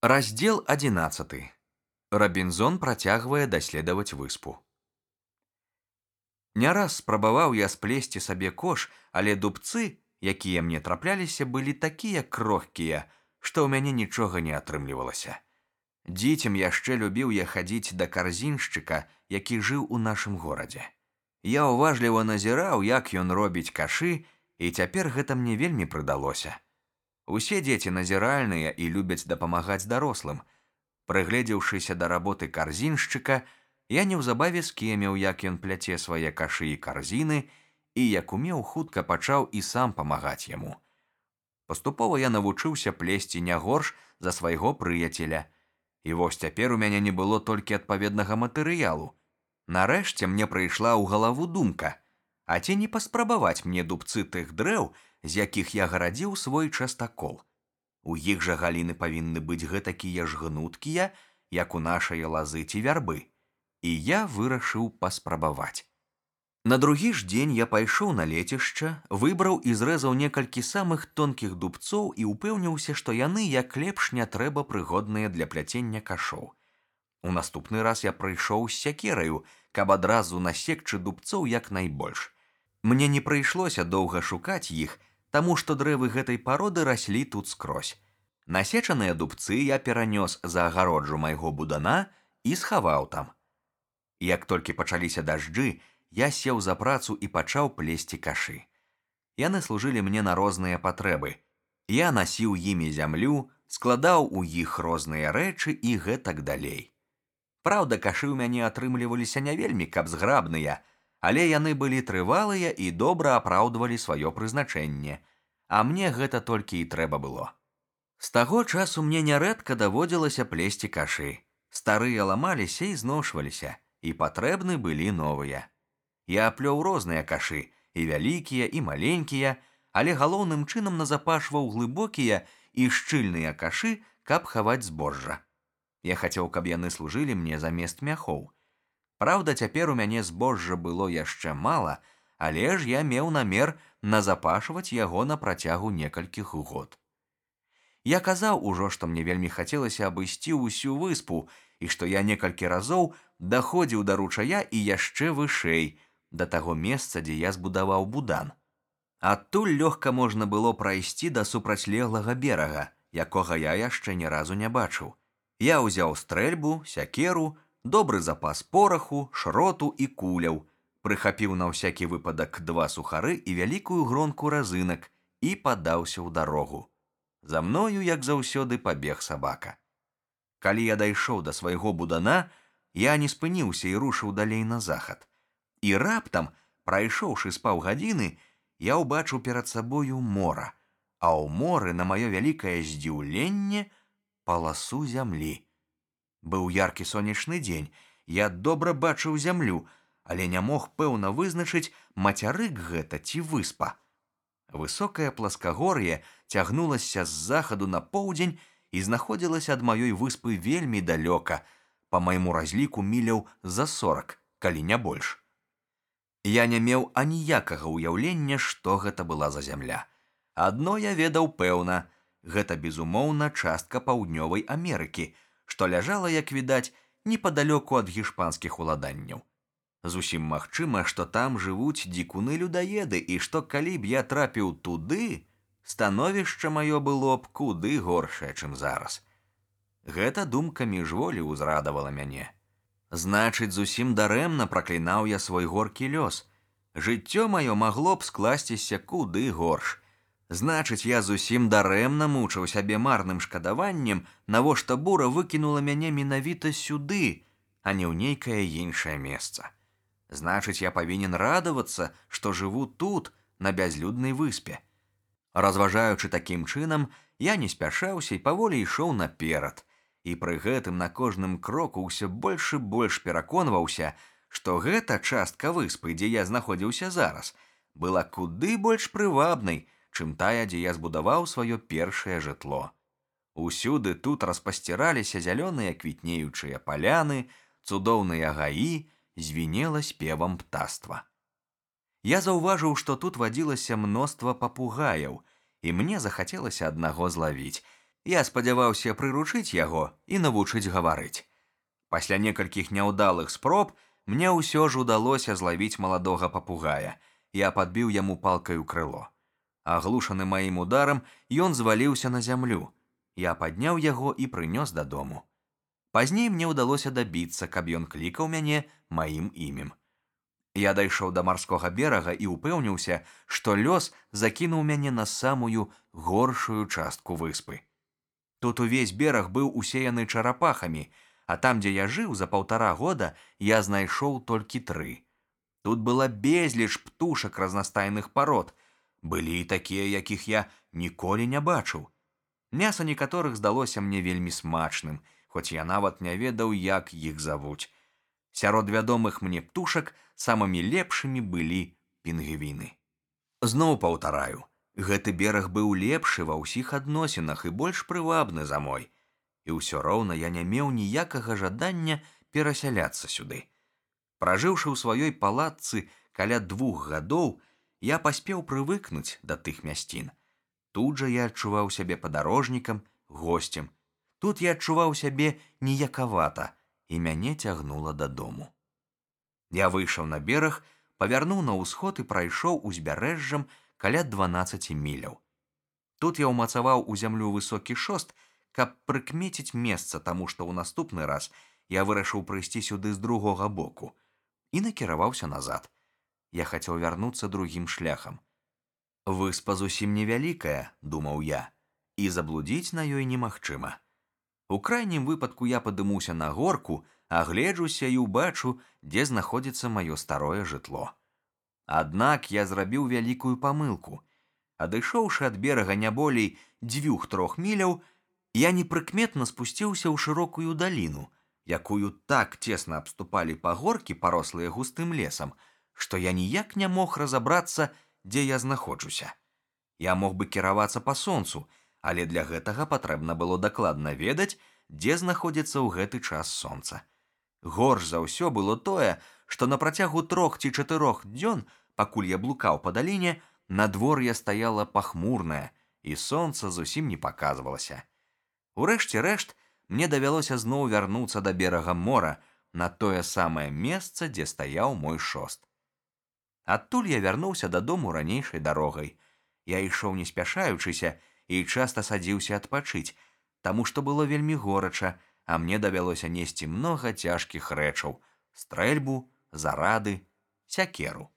Раздзел 11. Рабінзон працягвае даследаваць выспу. Не раз спрабаваў я сплесці сабе кош, але дубцы, якія мне трапляліся, былі такія крохкія, што ў мяне нічога не атрымлівалася. Дзіцем яшчэ любіў я хадзіць да карзіншчыка, які жыў у нашым горадзе. Я ўважліва назіраў, як ён робіць кашы, і цяпер гэта мне вельмі прыдалося. Усе дзеці назіральныя і любяць дапамагаць дарослым. Прыгледзеўшыся да работы карзіншчыка, я неўзабаве скеміў, як ён пляце свае кашы і карзіны, і як умеў, хутка пачаў і сам памагаць яму. Паступова я навучыўся плесці не горш за свайго прыяцеля. І вось цяпер у мяне не было толькі адпаведнага матэрыялу. Нарэшце мне прыйшла ў галаву думка, а ці не паспрабаваць мне дубцы тых дрэў, з якіх я гарадзіў свой частакол. У іх жа галіны павінны быць гэтакія ж гнуткія, як у нашай лазы ці вярбы. І я вырашыў паспрабаваць. На другі ж дзень я пайшоў на лецішча, выбраў і зрэзаў некалькі самых тонкіх дубцоў і упэўніўся, што яны як лепш не трэба прыгодныя для пляцення кашоў. У наступны раз я прыйшоў з сякераю, каб адразу насекчы дубцоў як найбольш. Мне не прыйшлося доўга шукаць іх, таму што дрэвы гэтай пароды раслі тут скрозь. Насечаныя дубцы я перанёс за агароджу майго будана і схаваў там. Як толькі пачаліся дажджы, я сеў за працу і пачаў плесці кашы. Яны служылі мне на розныя патрэбы. Я насіў імі зямлю, складаў у іх розныя рэчы і гэтак далей. Праўда, кашы ў мяне атрымліваліся не вельмі каб зграбныя, але яны былі трывалыя і добра апраўдвалі сваё прызначэнне, а мне гэта толькі і трэба было. З таго часу мне нярэдка даводзілася плесці кашы. Старыя ламаліся і зношваліся, і патрэбны былі новыя. Я плёў розныя кашы, і вялікія, і маленькія, але галоўным чынам назапашваў глыбокія і шчыльныя кашы, каб хаваць збожжа. Я хацеў, каб яны служылі мне замест мяхоў. Праўда, цяпер у мяне збожжа было яшчэ мала, але ж я меў намер назапашваць яго на працягу некалькіх год. Я казаў ужо, што мне вельмі хацелася абысці ўсю выспу, і што я некалькі разоў даходзіў да ручая і яшчэ вышэй, да таго месца, дзе я збудаваў будан. Адтуль лёгка можна было прайсці да супрацьлеглага берага, якога я яшчэ ні разу не бачыў. Я ўзяў стрэльбу, сякеру, добры запас пораху, шроту і куляў, прыхапіў на ўсякі выпадак 2 сухары і вялікую гронку разынак і падаўся ў дарогу. За мною, як заўсёды, пабег сабака. Калі я дайшоў да свайго будана, я не спыніўся і рушыў далей на захад. І раптам, прайшоўшы з паўгадзіны, я ўбачыў перад сабою мора, а ў моры, на маё вялікае здзіўленне, паласу зямлі. Быў яркі сонечны дзень, я добра бачыў зямлю, але не мог пэўна вызначыць, мацярык гэта ці выспа. Высокае пласкагор'е цягнулася з захаду на поўдзень і знаходзілася ад маёй выспы вельмі далёка, па майму разліку міляў за 40, калі не больш. Я не меў аніякага ўяўлення, што гэта была за зямля. Адно я ведаў пэўна, гэта, безумоўна, частка паўднёвай Амерыкі, што ляжала, як відаць, непадалёку ад гішпанскіх уладанняў. Зусім магчыма, што там жывуць дзікуны-людаеды, і што калі б я трапіў туды, становішча маё было б куды горшае, чым зараз. Гэта думка міжволі ўзрадавала мяне. Значыць, зусім дарэмна праклінаў я свой горкі лёс. Жыццё маё магло б скласціся куды горш. Значыць, я зусім дарэмна мучыў сябе марным шкадаваннем, навошта бура выкінула мяне менавіта сюды, а не ў нейкае іншае месца. Значыць, я павінен радавацца, што жыву тут, на бязлюднай выспе. Разважаючы такім чынам, я не спяшаўся і паволі ішоў наперад. І пры гэтым на кожным кроку ўсё больш і больш пераконваўся, што гэта частка выспы, дзе я знаходзіўся зараз, была куды больш прывабнай, чым тая, дзе я збудаваў сваё першае жытло. Усюды тут распасціраліся зялёныя квітнеючыя паляны, цудоўныя гаі, звінела спевам птаства. Я заўважыў, што тут вадзілася мноства папугаяў, і мне захацелася аднаго злавіць. Я спадзяваўся прыручыць яго і навучыць гаварыць. Пасля некалькіх няўдалых спроб мне ўсё ж удалося злавіць маладога папугая. Я падбіў яму палкаю крыло. Аглушаны маім ударам, ён зваліўся на зямлю. Я падняў яго і прынёс дадому. Пазней мне ўдалося дабіцца, каб ён клікаў мяне маім імем. Я дайшоў да марскога берага і ўпэўніўся, што лёс закінуў мяне на самую горшую частку выспы. Тут увесь бераг быў усеяны чарапахамі, а там, дзе я жыў за 1,5 года, я знайшоў толькі 3. Тут была безліч птушак разнастайных парод. Былі і такія, якіх я ніколі не бачыў. Мяса некаторых здалося мне вельмі смачным, хоць я нават не ведаў, як іх завуць. Сярод вядомых мне птушак самымі лепшымі былі пінгвіны. Зноў паўтараю, гэты бераг быў лепшы ва ўсіх адносінах і больш прывабны за мой. І ўсё роўна я не меў ніякага жадання перасяляцца сюды. Пражыўшы ў сваёй палатцы каля 2 гадоў, я паспеў прывыкнуць да тых мясцін. Тут жа я адчуваў сябе падарожнікам, госцем. Тут я адчуваў сябе ніякавата, і мяне цягнула дадому. Я выйшаў на бераг, павярнуў на ўсход і прайшоў узбярэжжам каля 12 міляў. Тут я ўмацаваў у зямлю высокі шост, каб прыкмеціць месца, таму што ў наступны раз я вырашыў прыйсці сюды з другога боку і накіраваўся назад. Я хацеў вярнуцца другім шляхам. Выспа зусім невялікая, думаў я, і заблудзіць на ёй немагчыма. У крайнім выпадку я падымуся на горку, агледжуся і ўбачу, дзе знаходзіцца маё старое жытло. Аднак я зрабіў вялікую памылку. Адышоўшы ад берага не болей 2-3 міляў, я непрыкметна спусціўся ў шырокую даліну, якую так цесна абступалі пагоркі, парослыя густым лесам, што я ніяк не мог разабрацца, дзе я знаходжуся. Я мог бы кіравацца па сонцу, але для гэтага патрэбна было дакладна ведаць, дзе знаходзіцца ў гэты час сонца. Горш за ўсё было тое, што на працягу 3 ці 4 дзён, пакуль я блукаў па даліне, надвор'е стаяла пахмурнае, і сонца зусім не паказвалася. Урэшце рэшт, мне давялося зноў вярнуцца да берага мора, на тое самае месца, дзе стаяў мой шост. Адтуль я вярнуўся дадому ранейшай дарогай. Я ішоў не спяшаючыся і часта садзіўся адпачыць, таму што было вельмі горача, а мне давялося несці многа цяжкіх рэчаў: стрэльбу, зарады, сякеру.